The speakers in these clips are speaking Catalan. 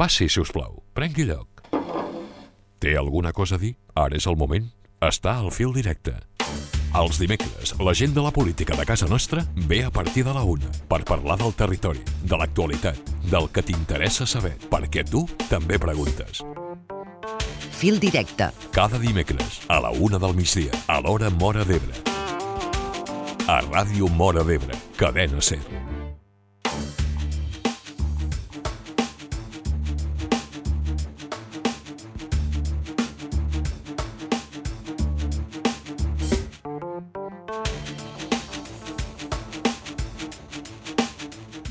Passi, si us plau. Prengui lloc. Té alguna cosa a dir? Ara és el moment. Està al fil directe. Els dimecres, la gent de la política de casa nostra ve a partir de la 1 per parlar del territori, de l'actualitat, del que t'interessa saber, perquè tu també preguntes. Fil directe. Cada dimecres, a la 1 del migdia, a l'hora Móra d'Ebre. A Ràdio Móra d'Ebre, Cadena SER.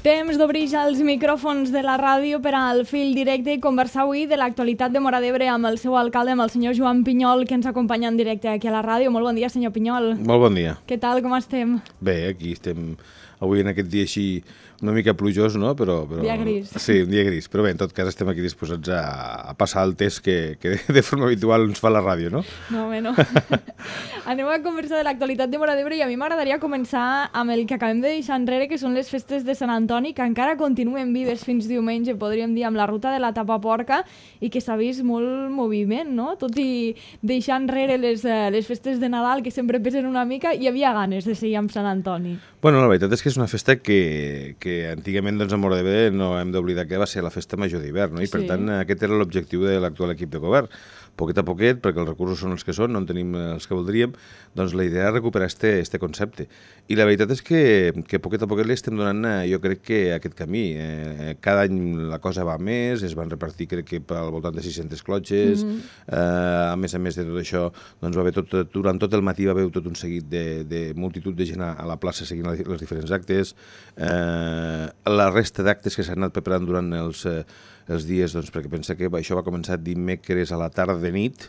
Temps d'obrir ja els micròfons de la ràdio per al fil directe i conversar avui de l'actualitat de Móra d'Ebre amb el seu alcalde, amb el senyor Joan Pinyol, que ens acompanya en directe aquí a la ràdio. Molt bon dia, senyor Pinyol. Molt bon dia. Què tal, com estem? Bé, aquí estem avui en aquest dia així una mica plujós, no? Però dia gris. Sí, un dia gris. Però bé, en tot cas estem aquí disposats a passar el test que de forma habitual ens fa la ràdio, no? No, home, no. Anem a conversar de l'actualitat de Móra d'Ebre i a mi m'agradaria començar amb el que acabem de deixar enrere, que són les festes de Sant Antoni, que encara continuen vives fins diumenge, podríem dir, amb la ruta de la Tapaporca, i que s'ha vist molt moviment, no? Tot i deixar enrere les festes de Nadal, que sempre pesen una mica, hi havia ganes de seguir amb Sant Antoni. Bueno, la veritat és que és una festa que antigament doncs, a Móra d'Ebre no hem d'oblidar que va ser la festa major d'hivern, no? I per tant aquest era l'objectiu de l'actual equip de govern. Poquet a poquet, perquè els recursos són els que són, no en tenim els que voldríem, doncs la idea és recuperar este concepte. I la veritat és que poquet a poquet li estem donant, jo crec que aquest camí. Cada any la cosa va més, es van repartir crec que al voltant de 600 clotxes, a més de tot això, doncs va haver durant tot el matí va haver tot un seguit de multitud de gent a la plaça seguint els diferents actes, la resta d'actes que s'han anat preparant durant els dies, doncs, perquè pensa que això va començar dimecres a la tarda de nit,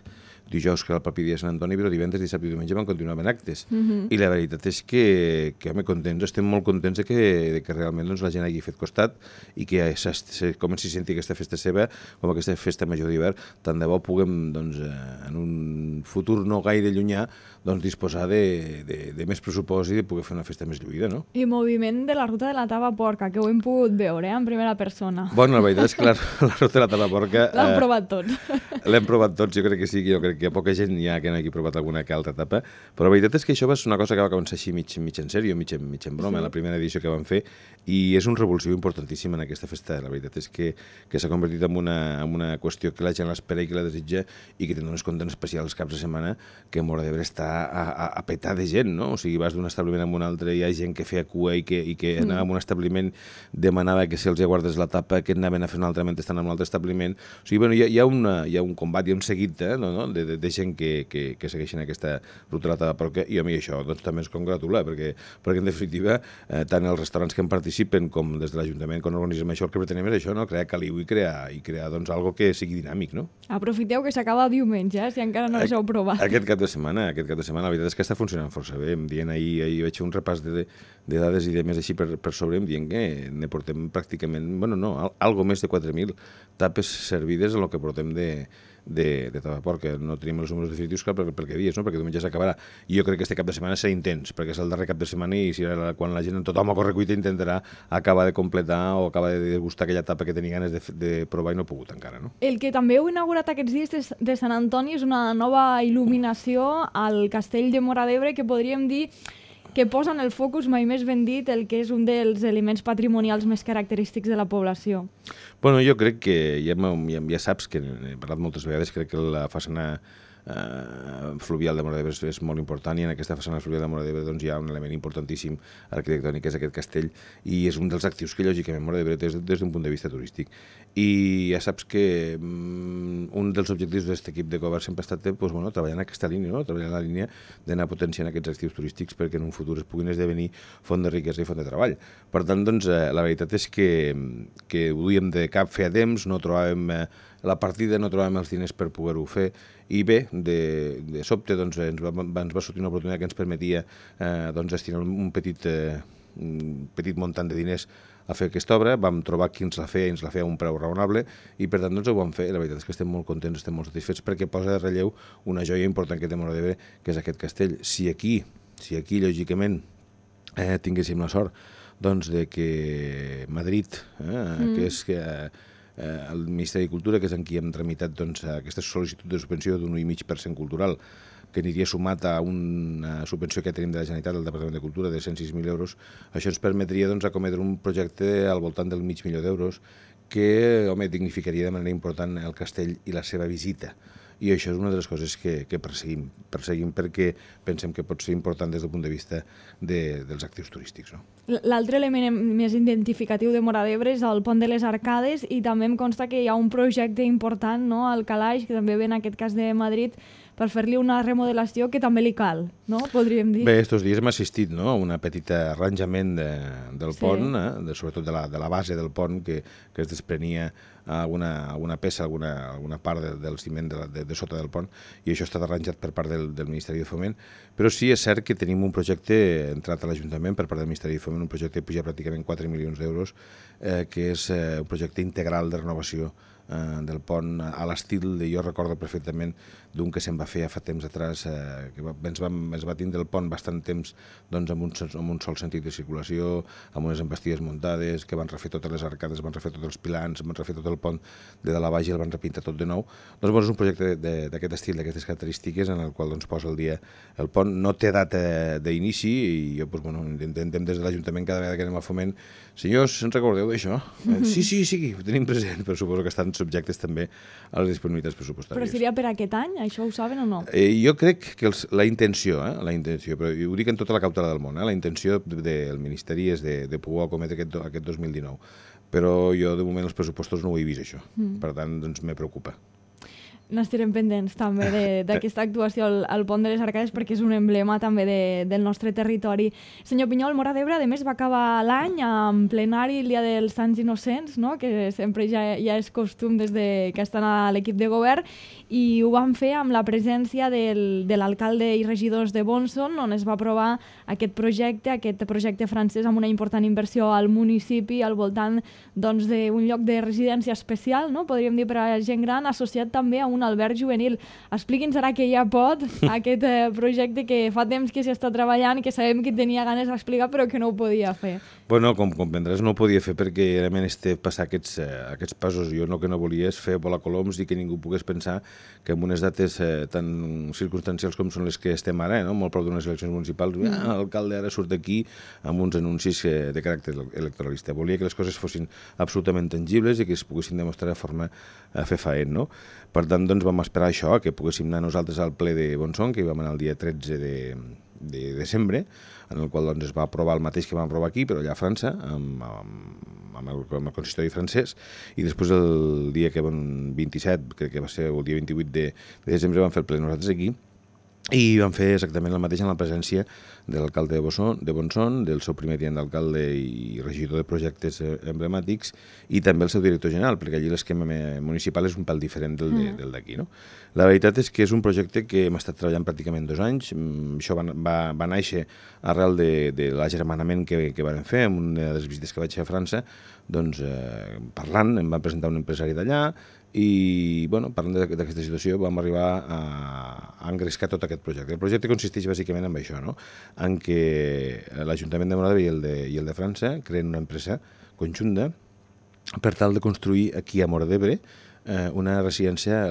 dijous que era el propi dia de Sant Antoni, però divendres, dissabte i diumenge van continuar en actes. I la veritat és que home, contents, estem molt contents de que realment doncs, la gent hagi fet costat i que comenci a sentir aquesta festa seva com aquesta festa major d'hivern. Tant de bo puguem, doncs, en un futur no gaire llunyà, doncs, disposar de més pressupost i de poder fer una festa més lluïda, no? I moviment de la ruta de la Tapaporca, que ho hem pogut veure en primera persona. Bueno, la veritat és que la ruta de la Tapaporca... L'han provat tots. L'hem provat tots, jo crec que sí, jo crec que poca gent hi ha que no hagi provat alguna que altra etapa, però la veritat és que això va ser una cosa que va començar així mig en sèrio, mig en broma, la primera edició que vam fer, i és un revulsiu importantíssim en aquesta festa. La veritat és que s'ha convertit en una qüestió que la gent l'espera i que la desitja i que té uns comptes especials els caps de setmana que Móra d'Ebre està a petar de gent, no? O sigui, vas d'un establiment a un altre, hi ha gent que feia cua i que anava a un establiment, demanava que si els guardes la tapa, que anaven a fer un altre mentre estan en un altre establiment. O sigui, bueno, hi ha un combat, hi ha un seguit de gent que segueixen aquesta ruta de la Tapaporca, i a mi això doncs, també ens congratula, perquè en definitiva tant els restaurants que en participen com des de l'Ajuntament, quan organitzem això, el que pretenem és això, no? Crear caliu i crear doncs, algo que sigui dinàmic, no? Aprofiteu que s'acaba diumenge, si encara no us heu provat. Aquest cap de setmana, la veritat és que està funcionant força bé. Em dient ahir vaig fer un repàs de dades i de més així per sobre, em dient que ne portem pràcticament, bueno, no, algo més de 4.000 tapes servides en el que portem de Tapaporca. No tenim els números definitius clar per què dies, no? Perquè diumenge s'acabarà. I jo crec que este cap de setmana serà intens, perquè és el darrer cap de setmana i quan la gent, tothom a correcuita, intentarà acabar de completar o acabar de degustar aquella tapa que tenia ganes de provar i no ha pogut encara, no? El que també heu inaugurat aquests dies de Sant Antoni és una nova il·luminació al castell de Móra d'Ebre que podríem dir que posa en el focus, mai més ben dit, el que és un dels elements patrimonials més característics de la població. Bueno, jo crec que ja saps que he parlat moltes vegades, crec que la façana fluvial de Móra d'Ebre és molt important, i en aquesta façana fluvial de Móra d'Ebre doncs, hi ha un element importantíssim arquitectònic, que és aquest castell, i és un dels actius que lògicament Móra d'Ebre té des d'un punt de vista turístic. I ja saps que un dels objectius d'aquest equip de govern sempre ha estat treballar en aquesta línia, treballar en la línia d'anar potenciant aquests actius turístics perquè en un futur es puguin esdevenir font de riquesa i font de treball. Per tant, doncs, la veritat és que ho duíem de cap feia temps, no trobàvem la partida, no trobàvem els diners per poder-ho fer, i bé, de sobte doncs, ens va sortir una oportunitat que ens permetia destinar un petit muntant de diners a fer aquesta obra. Vam trobar qui ens la feia i ens la feia a un preu raonable, i per tant doncs, ho vam fer. La veritat és que estem molt contents, estem molt satisfets, perquè posa de relleu una joia important que té Móra d'Ebre, que és aquest castell. Si aquí lògicament, tinguéssim la sort doncs, de que Madrid, que és el Ministeri de Cultura, que és en qui hem tramitat aquesta sol·licitud de subvenció d'un 1,5% cultural, que aniria sumat a una subvenció que tenim de la Generalitat del Departament de Cultura de 106.000 euros. Això ens permetria acometre un projecte al voltant del $500.000 que, dignificaria de manera important el castell i la seva visita. I això és una de les coses que perseguim. Perseguim perquè pensem que pot ser important des del punt de vista dels actius turístics. No? L'altre element més identificatiu de Móra d'Ebre és el pont de les Arcades, i també em consta que hi ha un projecte important, no?, al Calaix, que també ve en aquest cas de Madrid, per fer-li una remodelació que també li cal, no?, podríem dir. Bé, estos dies hem assistit, no?, a una petita arranjament del pont, sobretot de la base del pont, que es desprenia alguna peça, alguna part del ciment de sota del pont, i això ha estat arranjat per part del Ministeri de Foment. Però sí, és cert que tenim un projecte entrat a l'Ajuntament per part del Ministeri de Foment, un projecte que puja pràcticament 4 milions d'euros, que és un projecte integral de renovació del pont a l'estil, jo recordo perfectament d'un que se'n va fer fa temps atrás, que ens va tindre el pont bastant temps amb un sol sentit de circulació, amb unes embestides muntades, que van refer totes les arcades, van refer tots els pilans, van refer tot el pont de dalt a baix i el van repintar tot de nou. Doncs és un projecte d'aquest estil, d'aquestes característiques, en el qual posa al dia el pont. No té data d'inici i jo intentem des de l'Ajuntament cada vegada que anem a Foment: senyors, se'n recordeu d'això? Sí, ho tenim present, però suposo que estan subjectes també a les disponibilitats pressupostàries. Però seria per aquest any? Això ho saben o no? Jo crec que la intenció, però ho dic en tota la cautela del món, la intenció del Ministeri és de poder acometre aquest 2019. Però jo, de moment, els pressupostos no ho he vist, això. Per tant, me preocupa. N'estarem pendents també d'aquesta actuació al Pont de les Arcades, perquè és un emblema també del nostre territori. Senyor Pinyol, Móra d'Ebre, a més, va acabar l'any en plenari el Dia dels Sants Innocents, no?, que sempre ja és costum des que estan a l'equip de govern, i ho van fer amb la presència de l'alcalde i regidors de Bonson, on es va aprovar aquest projecte francès amb una important inversió al municipi al voltant d'un lloc de residència especial, no?, podríem dir, per a gent gran, associat també a un alberg juvenil. Expliqui'ns ara que ja pot aquest projecte que fa temps que s'hi està treballant i que sabem que tenia ganes d'explicar però que no ho podia fer. Bueno, com comprendràs, no ho podia fer perquè realment passar aquests passos. Jo el que no volia és fer volar coloms i que ningú pogués pensar que en unes dates tan circumstancials com són les que estem ara, molt prop d'unes eleccions municipals, l'alcalde ara surt aquí amb uns anuncis de caràcter electoralista. Volia que les coses fossin absolutament tangibles i que es poguessin demostrar de forma fefaent, no? Per tant, vam esperar això, que poguéssim anar nosaltres al ple de Bonson, que hi vam anar el dia 13 de desembre, en el qual es va aprovar el mateix que vam aprovar aquí, però allà a França, amb el consistori francès, i després el dia 27, crec que va ser el dia 28 de desembre, vam fer el ple nosaltres aquí, i van fer exactament el mateix en la presència de l'alcalde de Bonson, del seu primer tinent d'alcalde i regidor de projectes emblemàtics, i també el seu director general, perquè allí l'esquema municipal és un pèl diferent del d'aquí. No? La veritat és que és un projecte que hem estat treballant pràcticament 2 anys. Això va néixer arrel de l'agermanament que vam fer en una de les visites que vaig fer a França, parlant, em va presentar un empresari d'allà, i parlant d'aquesta situació vam arribar a engrescar tot aquest projecte. El projecte consisteix bàsicament en això, en què l'Ajuntament de Móra d'Ebre i el de França creen una empresa conjunta per tal de construir aquí a Móra d'Ebre una residència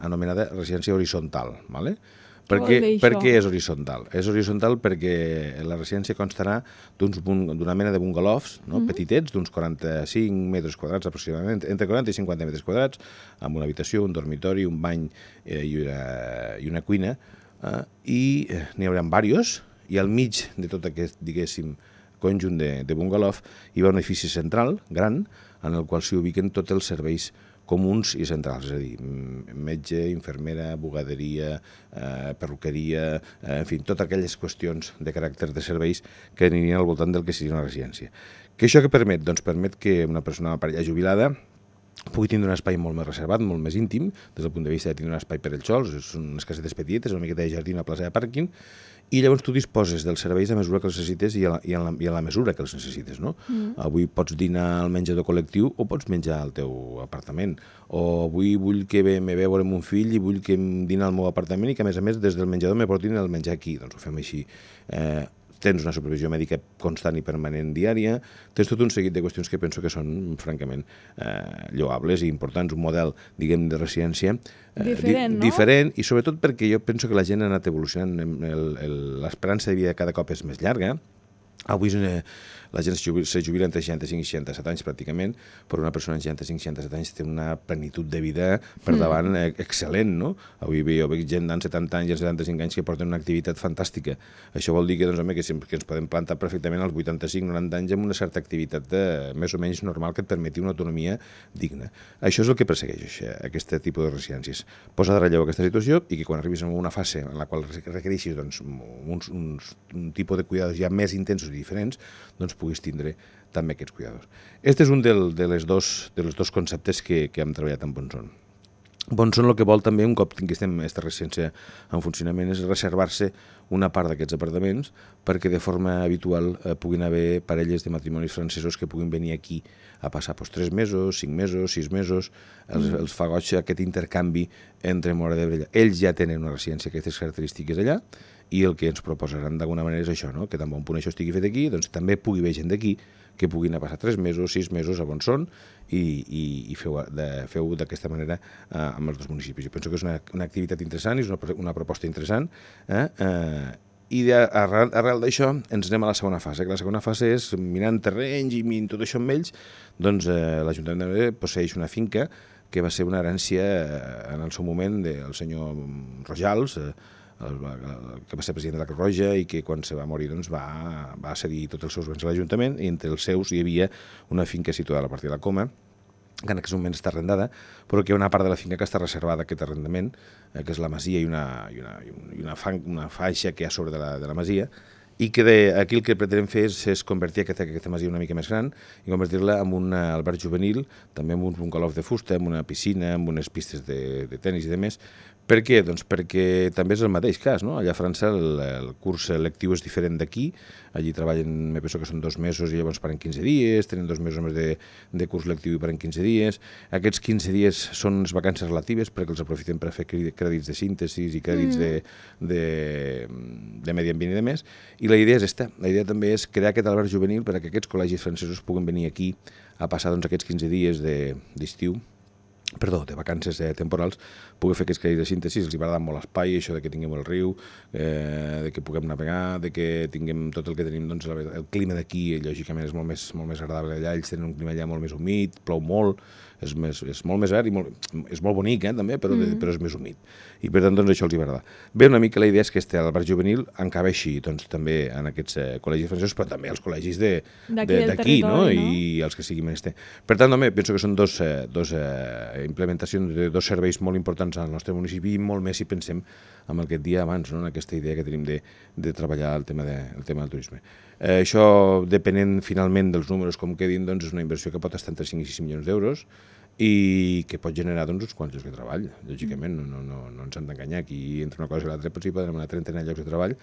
anomenada residència horitzontal, ¿vale? Per què és horitzontal? És horitzontal perquè la residència constarà d'una mena de bungalows, petitets, d'uns 45 metres quadrats aproximadament, entre 40 i 50 metres quadrats, amb una habitació, un dormitori, un bany i una cuina, i n'hi haurà diversos, i al mig de tot aquest, diguéssim, conjunt de bungalow hi va un edifici central, gran, en el qual s'hi ubiquen tots els serveis comuns i centrals, és a dir, metge, infermera, bugaderia, perruqueria, en fi, totes aquelles qüestions de caràcter de serveis que anirien al voltant del que seria una residència. Què això que permet? Doncs permet que una persona ja jubilada pugui tindre un espai molt més reservat, molt més íntim, des del punt de vista de tindre un espai per ells sols, són unes casetes petites, una miqueta de jardí, una plaça de pàrquing, i llavors tu disposes dels serveis a mesura que els necessites i a la mesura que els necessites, no? Avui pots dinar al menjador col·lectiu o pots menjar al teu apartament, o avui vull que me ve a veure mon fill i vull que em dina al meu apartament i que a més des del menjador me portin el menjar aquí, doncs ho fem així. tens una supervisió mèdica constant i permanent diària, tens tot un seguit de qüestions que penso que són, francament, lloables i importants, un model, diguem, de residència diferent, no? Diferent, i sobretot perquè jo penso que la gent ha anat evolucionant, l'esperança de vida cada cop és més llarga. Avui la gent se jubila entre 65 i 67 anys pràcticament, però una persona de 65-67 anys té una plenitud de vida per davant excel·lent, no? Avui jo veig gent d'en 70 anys i 75 anys que porten una activitat fantàstica. Això vol dir que, doncs, home, que ens podem plantar perfectament als 85-90 anys amb una certa activitat més o menys normal que et permeti una autonomia digna. Això és el que persegueix aquest tipus de residències. Posa de relleu aquesta situació i que quan arribis a una fase en la qual requereixis doncs, un tipus de cuidados ja més intensos i diferents, doncs puguis tindre també aquests cuidadors. Aquest és un dels dos conceptes que hem treballat amb Bonson. Bonson el que vol també, un cop tinguéssim aquesta residència en funcionament, és reservar-se una part d'aquests apartaments perquè de forma habitual puguin haver parelles de matrimonis francesos que puguin venir aquí a passar 3 mesos, 5 mesos, 6 mesos, els fa goig aquest intercanvi entre Móra d'Ebre i allà. Ells ja tenen una residència amb aquestes característiques allà, i el que ens proposaran d'alguna manera és això, no? Que tan bon punt això estigui fet aquí, doncs també pugui haver gent d'aquí que puguin a passar 3 mesos, 6 mesos a Bonson i feu d'aquesta manera amb els dos municipis. Jo penso que és una activitat interessant, és una proposta interessant, i arrel d'això ens anem a la segona fase, que la segona fase és, mirant terrenys i mirant tot això amb ells, doncs l'Ajuntament de Móra posseeix una finca que va ser una herència en el seu moment del senyor Rojals, que va ser president de la Creu Roja i que quan se va morir doncs, va cedir tots els seus béns a l'Ajuntament, i entre els seus hi havia una finca situada a la part de la Coma, que en aquest moment està arrendada, però que hi ha una part de la finca que està reservada a aquest arrendament, que és la masia i una faixa que hi ha sobre de la masia, i que aquí el que pretenem fer és convertir aquesta masia una mica més gran i convertir-la en un alberg juvenil, també amb un bungalow de fusta, amb una piscina, amb unes pistes de tenis i demés. Per què? Doncs perquè també és el mateix cas, no? Allà a França el curs lectiu és diferent d'aquí, allí treballen, me penso que són 2 mesos i llavors paren 15 dies, tenen 2 mesos més de curs lectiu i paren 15 dies. Aquests 15 dies són unes vacances relatives perquè els aprofiten per fer crèdits de síntesi i crèdits de medi ambient i demés. I la idea és aquesta, la idea també és crear aquest alberg juvenil perquè aquests col·legis francesos puguen venir aquí a passar doncs, aquests 15 dies d'estiu, de vacances temporals, poder fer aquests crèdits de síntesi. Els agrada molt l'espai, això de que tinguem el riu, de que puguem navegar, de que tinguem tot el que tenim, doncs el clima d'aquí, lògicament, és molt més agradable allà, ells tenen un clima allà molt més humit, plou molt, és molt més verd i és molt bonic, també, però és més humit. I per tant, doncs, això els agrada. Bé, una mica la idea és que l'alberg juvenil encabeixi doncs, també en aquests col·legis francesos, però també als col·legis d'aquí, no? I els que siguin menester. Per tant, també, penso que són dos implementacions de 2 serveis molt importants al nostre municipi i molt més si pensem en el que et dia abans, no? En aquesta idea que tenim de treballar el tema del turisme. Això, depenent finalment dels números com quedin, doncs és una inversió que pot estar entre 5 i 6 milions d'euros i que pot generar doncs, uns quants llocs de treball. Lògicament, no ens han d'enganyar. Aquí, entre una cosa i l'altra, potser podem anar a 30 llocs de treball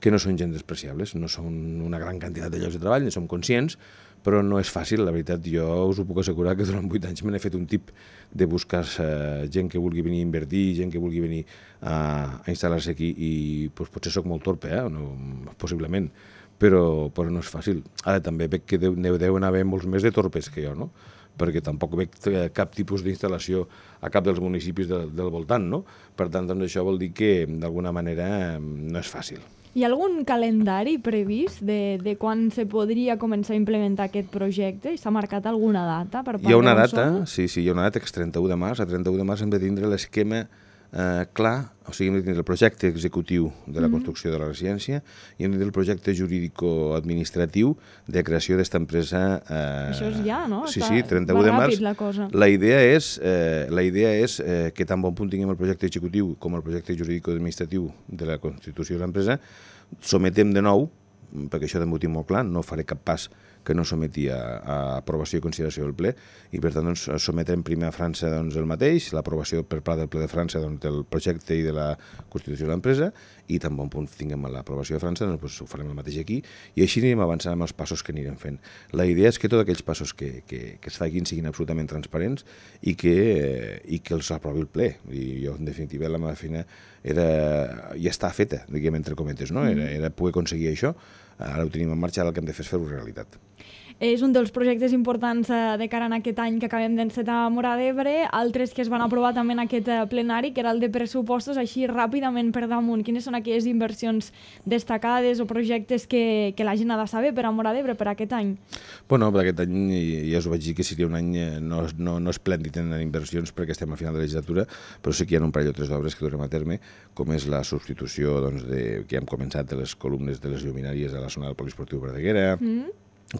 que no són gens despreciables, no són una gran quantitat de llocs de treball, ne som conscients, però no és fàcil, la veritat. Jo us ho puc assegurar que durant 8 anys me n'he fet un tip de buscar gent que vulgui venir a invertir, gent que vulgui venir a instal·lar-se aquí i potser sóc molt torpe, possiblement, però no és fàcil. Ara també veig que deuen haver molts més de torpes que jo, no? Perquè tampoc veig cap tipus d'instal·lació a cap dels municipis del voltant, no? Per tant, doncs, això vol dir que d'alguna manera no és fàcil. Hi ha algun calendari previst de quan se podria començar a implementar aquest projecte? S'ha marcat alguna data per part de Bonson? Hi ha una data, sí, hi ha una data que és 31 de març. A 31 de març hem de tindre l'esquema clar, o sigui, hem de tindre el projecte executiu de la construcció de la residència i hem de tindre el projecte jurídico-administratiu de creació d'esta empresa. Això és ja, no? Sí, 31 de març. La cosa. La idea és que tan bon punt tinguem el projecte executiu com el projecte jurídico-administratiu de la constitució de l'empresa, sometem de nou, perquè això també ho tinc molt clar, no faré cap pas que no someti a aprovació i consideració del ple, i per tant doncs, sometrem primer a França doncs, el mateix, l'aprovació per part del ple de França doncs, del projecte i de la constitució de l'empresa, i tan bon punt tinguem l'aprovació de França, doncs, ho farem el mateix aquí, i així anirem avançant amb els passos que anirem fent. La idea és que tots aquells passos que es facin siguin absolutament transparents i que els aprovi el ple. I jo, en definitiva, la meva feina ja està feta, diguem, entre cometes, no? Era poder aconseguir això. Ara ho tenim en marxa, ara el que hem de fer és fer-ho realitat. És un dels projectes importants de cara a aquest any que acabem d'encetar a Móra d'Ebre, altres que es van aprovar també en aquest plenari, que era el de pressupostos, així ràpidament per damunt. Quines són aquelles inversions destacades o projectes que la gent ha de saber per a Móra d'Ebre per aquest any? Bueno, per aquest any ja us ho vaig dir que seria un any no esplèndid en inversions perquè estem al final de la legislatura, però sí que hi ha un parell o tres d'obres que durem a terme, com és la substitució que hem començat de les columnes de les lluminàries a la zona del Poliesportiu Verdaguera,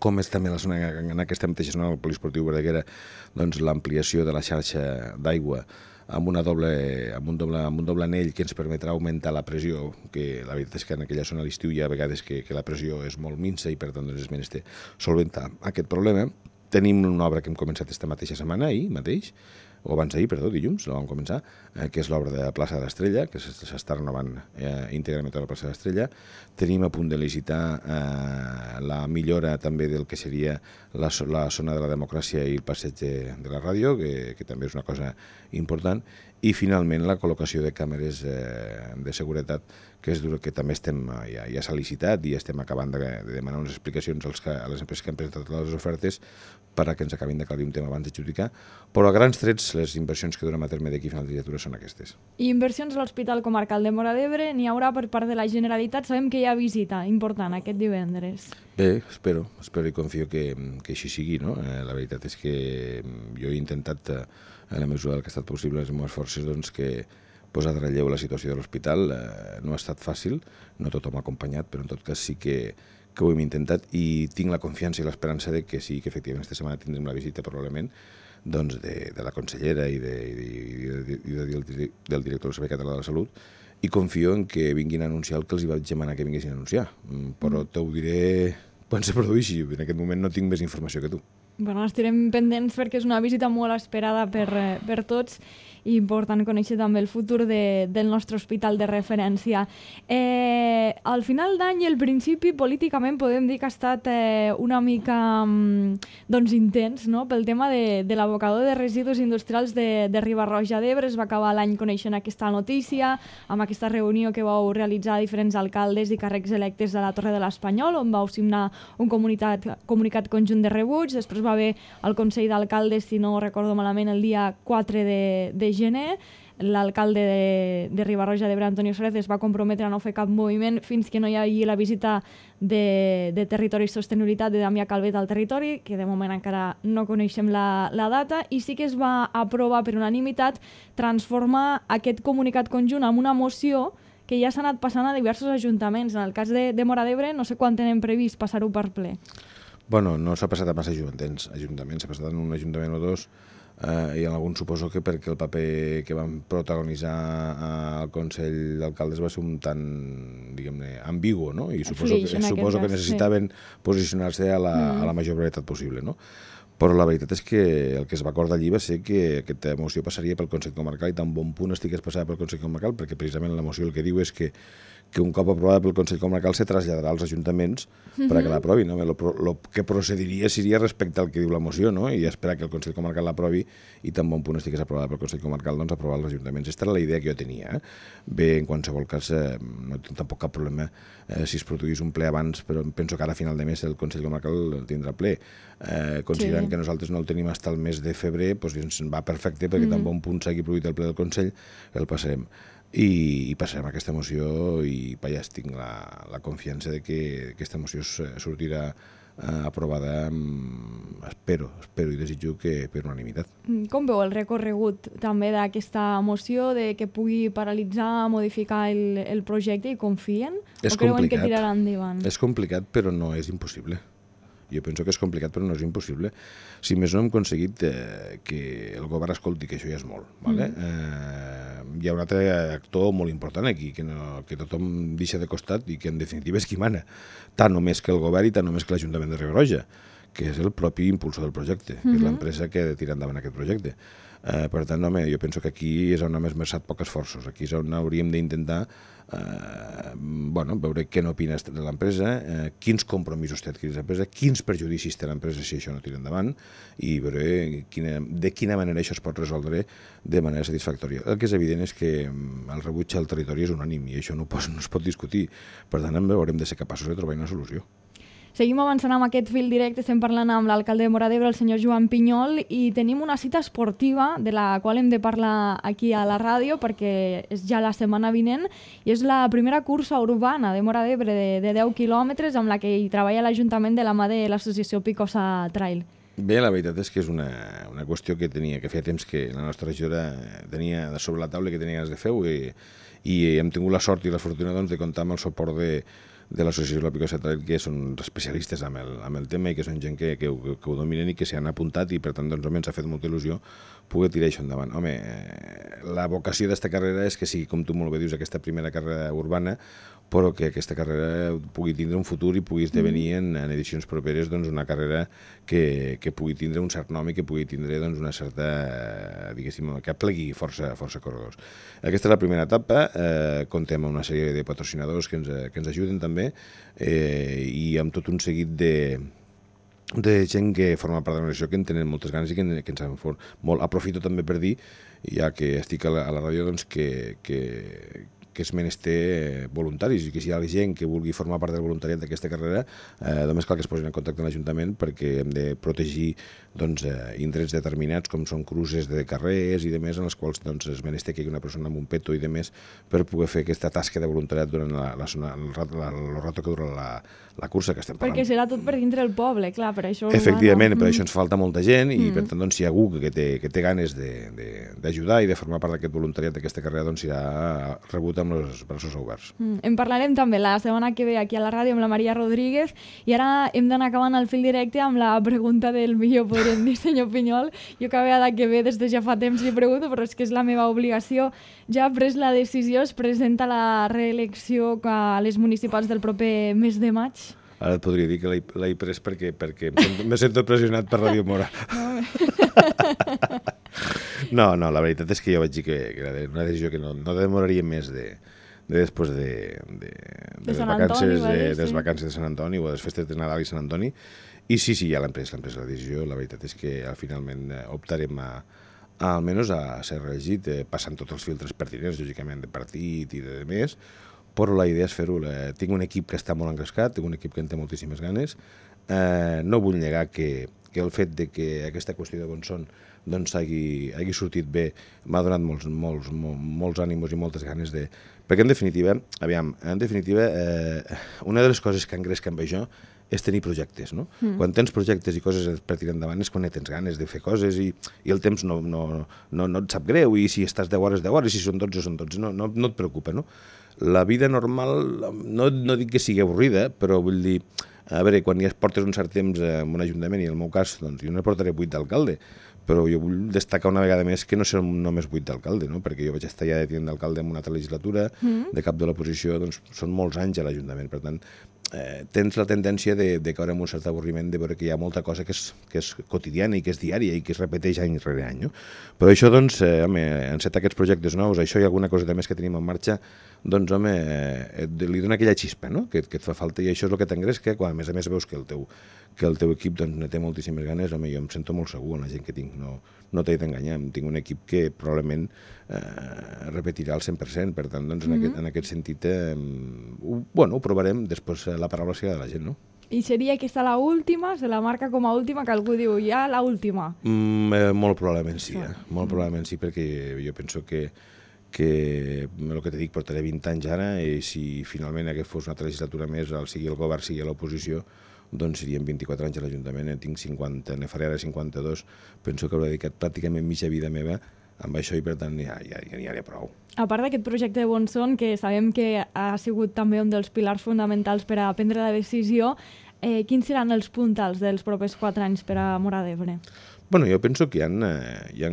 com és també en aquesta mateixa zona del Poliesportiu Verdaguera, doncs l'ampliació de la xarxa d'aigua amb un doble anell que ens permetrà augmentar la pressió, que la veritat és que en aquella zona a l'estiu hi ha vegades que la pressió és molt minsa i per tant és menester solventar aquest problema. Tenim una obra que hem començat esta mateixa setmana, ahir mateix, o abans d'ahir, perdó, dilluns, la vam començar, que és l'obra de la plaça de l'Estrella, que s'està renovant íntegrament tota la plaça de l'Estrella. Tenim a punt de licitar la millora també del que seria la zona de la democràcia i el passeig de la ràdio, que també és una cosa important. I finalment la col·locació de càmeres de seguretat, que també ja s'ha licitat i estem acabant de demanar unes explicacions a les empreses que han presentat les ofertes perquè ens acabin d'aclarir un tema abans d'adjudicar, però a grans trets les inversions que durem a terme d'aquí a final de legislatura són aquestes. I inversions a l'Hospital Comarcal de Móra d'Ebre n'hi haurà per part de la Generalitat. Sabem que hi ha visita important aquest divendres. Bé, espero i confio que així sigui, no? La veritat és que jo he intentat, en la mesura del que ha estat possible, les meves forces, doncs, que posar de relleu la situació de l'hospital no ha estat fàcil, no tothom ha acompanyat, però en tot cas sí que ho hem intentat i tinc la confiança i l'esperança de que sí, que efectivament aquesta setmana tindrem la visita probablement doncs, de la consellera i del director del Servei Català de la Salut, i confio en que vinguin a anunciar el que els hi vaig demanar que vinguessin a anunciar, però t'ho diré quan se produeixi. En aquest moment no tinc més informació que tu. Bueno, estarem pendents perquè és una visita molt esperada per tots i important conèixer també el futur del nostre hospital de referència. Al final d'any i al principi, políticament, podem dir que ha estat una mica intens, no? Pel tema de l'abocador de residus industrials de Riba-roja d'Ebre. Es va acabar l'any coneixent aquesta notícia, amb aquesta reunió que vau realitzar diferents alcaldes i càrrecs electes de la Torre de l'Espanyol, on vau signar un comunicat conjunt de rebuig. Després va haver el Consell d'Alcaldes, si no recordo malament, el dia 4 de gener. L'alcalde de Riba-roja d'Ebre, Antonio Suárez, es va comprometre a no fer cap moviment fins que no hi hagi la visita de Territori i Sostenibilitat de Damià Calvet al territori, que de moment encara no coneixem la data, i sí que es va aprovar per unanimitat transformar aquest comunicat conjunt en una moció que ja s'ha anat passant a diversos ajuntaments. En el cas de Móra d'Ebre, no sé quan tenen previst passar-ho per ple. Bueno, no s'ha passat a massa ajuntaments, s'ha passat en un ajuntament o dos, i en algun suposo que perquè el paper que van protagonitzar al Consell d'Alcaldes va ser un tant, diguem-ne, ambigu, no? I suposo que necessitaven posicionar-se a la major brevetat possible, no? Però la veritat és que el que es va acordar allí va ser que aquesta moció passaria pel Consell Comarcal, i tan bon punt estigués passada pel Consell Comarcal, perquè precisament la moció el que diu és que un cop aprovada pel Consell Comarcal se traslladarà als ajuntaments perquè l'aprovin. El que procediria seria respecte al que diu la moció, no? I esperar que el Consell Comarcal l'aprovi i tan bon punt estigués aprovada pel Consell Comarcal, doncs aprovar els ajuntaments. Aquesta era la idea que jo tenia. Bé, en qualsevol cas, no tinc tampoc cap problema si es produís un ple abans, però penso que ara a final de mes el Consell Comarcal tindrà ple. Considerant que nosaltres no el tenim fins al mes de febrer, doncs ens va perfecte, perquè tan bon punt s'hagi produït el ple del Consell, el passarem. I passarem aquesta moció i ja tinc la confiança de que aquesta moció sortirà aprovada, espero i desitjo que per unanimitat. Com veu el recorregut també d'aquesta moció, de que pugui paralitzar, modificar el projecte, i confien? O creuen que tirarà endavant? És complicat, però no és impossible. Jo penso que és complicat, però no és impossible. Si més no hem aconseguit que el govern escolti, que això ja és molt. Hi ha un altre actor molt important aquí, que tothom deixa de costat i que en definitiva és qui mana, tant o més que el govern i tant o més que l'Ajuntament de Riba-roja, que és el propi impulsor del projecte, que és l'empresa que ha de tirar endavant aquest projecte. Per tant, home, jo penso que aquí és on hem esmerçat pocs esforços. Aquí és on hauríem d'intentar veure què n'opina de l'empresa, quins compromisos té adquirits l'empresa, quins perjudicis té l'empresa si això no tira endavant i veure de quina manera això es pot resoldre de manera satisfactòria. El que és evident és que el rebuig al territori és unànim i això no es pot discutir. Per tant, haurem de ser capaços de trobar una solució. Seguim avançant amb aquest fil directe, estem parlant amb l'alcalde de Móra d'Ebre, el senyor Joan Pinyol, i tenim una cita esportiva de la qual hem de parlar aquí a la ràdio perquè és ja la setmana vinent i és la primera cursa urbana de Móra d'Ebre de 10 quilòmetres amb la que hi treballa l'Ajuntament de la mà de l'associació Picosa Trail. Bé, la veritat és que és una qüestió que feia temps que la nostra regidora tenia sobre la taula que tenia ganes de fer-ho i hem tingut la sort i la fortuna de comptar amb el suport de l'associació La Picosa Trail, que són especialistes amb el tema i que són gent que ho dominen i que s'hi han apuntat i per tant ens ha fet molta il·lusió poder tirar això endavant. Home, la vocació d'esta carrera és que sigui, com tu molt bé dius, aquesta primera carrera urbana, però que aquesta carrera pugui tindre un futur i pugui esdevenir en edicions properes una carrera que pugui tindre un cert nom i que pugui tindre una certa, diguéssim, que aplegui força corredors. Aquesta és la primera etapa, comptem amb una sèrie de patrocinadors que ens ajuden també i amb tot un seguit de gent que forma part de l'organització que en tenen moltes ganes i que ens han fet molt. Aprofito també per dir, ja que estic a la ràdio, que és menester voluntaris i que si hi ha gent que vulgui formar part del voluntariat d'aquesta carrera només cal que es posin en contacte amb l'Ajuntament perquè hem de protegir indrets determinats com són cruces de carrers i demés en els quals és menester que hi hagi una persona amb un peto i demés per poder fer aquesta tasca de voluntariat durant el rato que dura la cursa que estem parlant. Perquè serà tot per dintre el poble, clar, per això... Efectivament, per això ens falta molta gent i per tant si hi ha algú que té ganes d'ajudar i de formar part d'aquest voluntariat d'aquesta carrera serà rebut amb els braços oberts. En parlarem també la setmana que ve aquí a la ràdio amb la Maria Rodríguez i ara hem d'anar acabant el fil directe amb la pregunta del millor, podríem dir, senyor Pinyol. Jo cada vegada que ve des de ja fa temps li pregunto, però és que és la meva obligació. Ja ha pres la decisió, es presenta la reelecció a les municipals del proper mes de maig. Ara et podria dir que l'he pres perquè me sento pressionat per Ràdio Móra. No, la veritat és que jo vaig dir que era una decisió que no demoraria més després de les vacances de Sant Antoni o de les festes de Nadal i Sant Antoni. I sí, ja l'hem pres la decisió. La veritat és que finalment optarem almenys a ser reelegit, passant tots els filtres pertinents, lògicament, de partit i de més, però la idea és fer-ho. Tinc un equip que està molt engrescat, tinc un equip que en té moltíssimes ganes. No vull negar que el fet de que aquesta qüestió de Bonson hagi sortit bé m'ha donat molts ànimos i moltes ganes de... Perquè en definitiva, una de les coses que engresca amb això és tenir projectes, no? Quan tens projectes i coses per tirar endavant és quan tens ganes de fer coses i el temps no et sap greu i si estàs 10 hores, 10 hores, i si són 12, són 12, no et preocupa, no? La vida normal, no dic que sigui avorrida, però vull dir, a veure, quan ja portes un cert temps en un ajuntament, i en el meu cas, doncs jo no portaré 8 d'alcalde, però jo vull destacar una vegada més que no serà només 8 d'alcalde, no? Perquè jo vaig estar ja de tinent d'alcalde en una altra legislatura, de cap de l'oposició, doncs són molts anys a l'Ajuntament, per tant, tens la tendència de caure en un cert avorriment de veure que hi ha molta cosa que és quotidiana i que és diària i que es repeteix any rere any, no? Però això, doncs, encetar aquests projectes nous, això i alguna cosa més que tenim en marxa, doncs, home, li dona aquella xispa, no?, que et fa falta, i això és el que t'engresca, quan a més veus que el teu equip ne té moltíssimes ganes. Home, jo em sento molt segur en la gent que tinc, no t'he d'enganyar, tinc un equip que probablement repetirà al 100%, per tant, doncs, en aquest sentit, ho provarem, després la paraula serà de la gent, no? I seria aquesta l'última? Se la marca com a última, que algú diu, ja l'última? Molt probablement sí, molt probablement sí, perquè jo penso que el que t'he dit, portaré 20 anys ara, i si finalment aquest fos una altra legislatura més, sigui el govern, sigui l'oposició, doncs serien 24 anys a l'Ajuntament, tinc 50, ne faré ara 52, penso que hauré dedicat pràcticament mitja vida meva amb això i per tant ja n'hi ha prou. A part d'aquest projecte de Bonson, que sabem que ha sigut també un dels pilars fonamentals per a prendre la decisió, quins seran els puntals dels propers 4 anys per a Móra d'Ebre? Bueno, jo penso que hi ha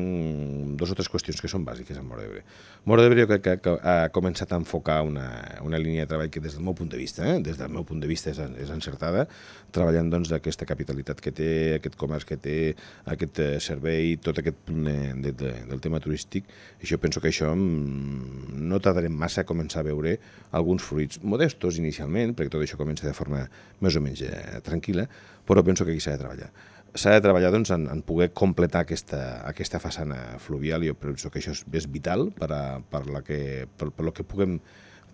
dos o tres qüestions que són bàsiques a Móra d'Ebre. Móra d'Ebre jo crec que ha començat a enfocar una línia de treball que des del meu punt de vista, des del meu punt de vista és encertada, treballant doncs aquesta capitalitat que té, aquest comerç que té, aquest servei, tot aquest punt del tema turístic. I jo penso que això no tardarem massa a començar a veure alguns fruits modestos inicialment, perquè tot això comença de forma més o menys tranquil·la, però penso que aquí s'ha de treballar. S'ha de treballar doncs, en poder completar aquesta façana fluvial. Jo penso que això és vital per lo que puguem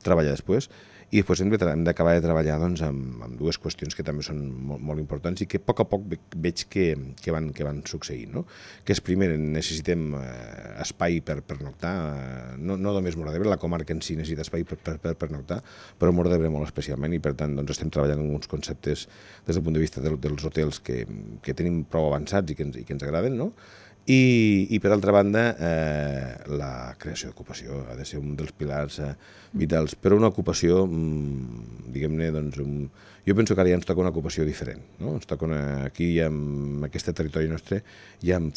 treballar després. I després hem d'acabar de treballar doncs, amb dues qüestions que també són molt importants i que a poc veig que van succeint. No? Que és, primer, necessitem espai per pernoctar, no només Móra d'Ebre, la comarca en si necessita espai per pernoctar, però Móra d'Ebre molt especialment, i per tant doncs, estem treballant en uns conceptes des del punt de vista dels hotels que tenim prou avançats i que ens agraden, no? I per altra banda, la creació d'ocupació ha de ser un dels pilars vitals, però una ocupació, diguem-ne, doncs, jo penso que ara ja ens toca una ocupació diferent. No? Ens toca aquí, en aquest territori nostre, ja hem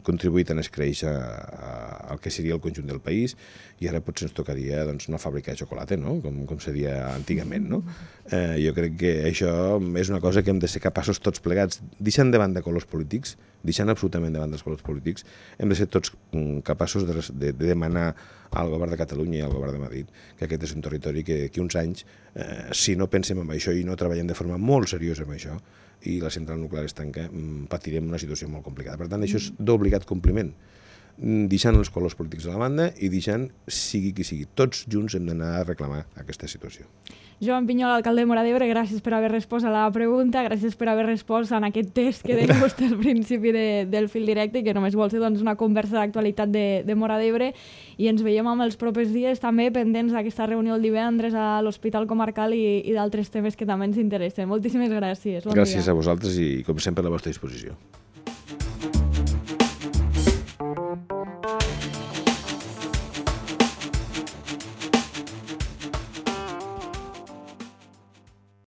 contribuït a créixer al que seria el conjunt del país, i ara potser ens tocaria doncs, una fàbrica de xocolata, no? com se deia antigament. No? Jo crec que això és una cosa que hem de ser capaços tots plegats, deixant de banda colors polítics, deixant absolutament davant dels colors polítics, hem de ser tots capaços de demanar al govern de Catalunya i al govern de Madrid que aquest és un territori que d'aquí uns anys, si no pensem en això i no treballem de forma molt seriosa en això, i la central nuclear es tanca, patirem una situació molt complicada. Per tant, això és d'obligat compliment, deixant els colors polítics a la banda i deixant, sigui qui sigui, tots junts hem d'anar a reclamar aquesta situació. Joan Pinyol, alcalde de Móra d'Ebre, gràcies per haver respost a la pregunta, gràcies per haver respost en aquest test que deia vostè al principi del fil directe, que només vol ser doncs, una conversa d'actualitat de Móra d'Ebre, i ens veiem amb els propers dies també pendents d'aquesta reunió el divendres a l'Hospital Comarcal i d'altres temes que també ens interessen. Moltíssimes gràcies. Gràcies a vosaltres i, com sempre, a la vostra disposició.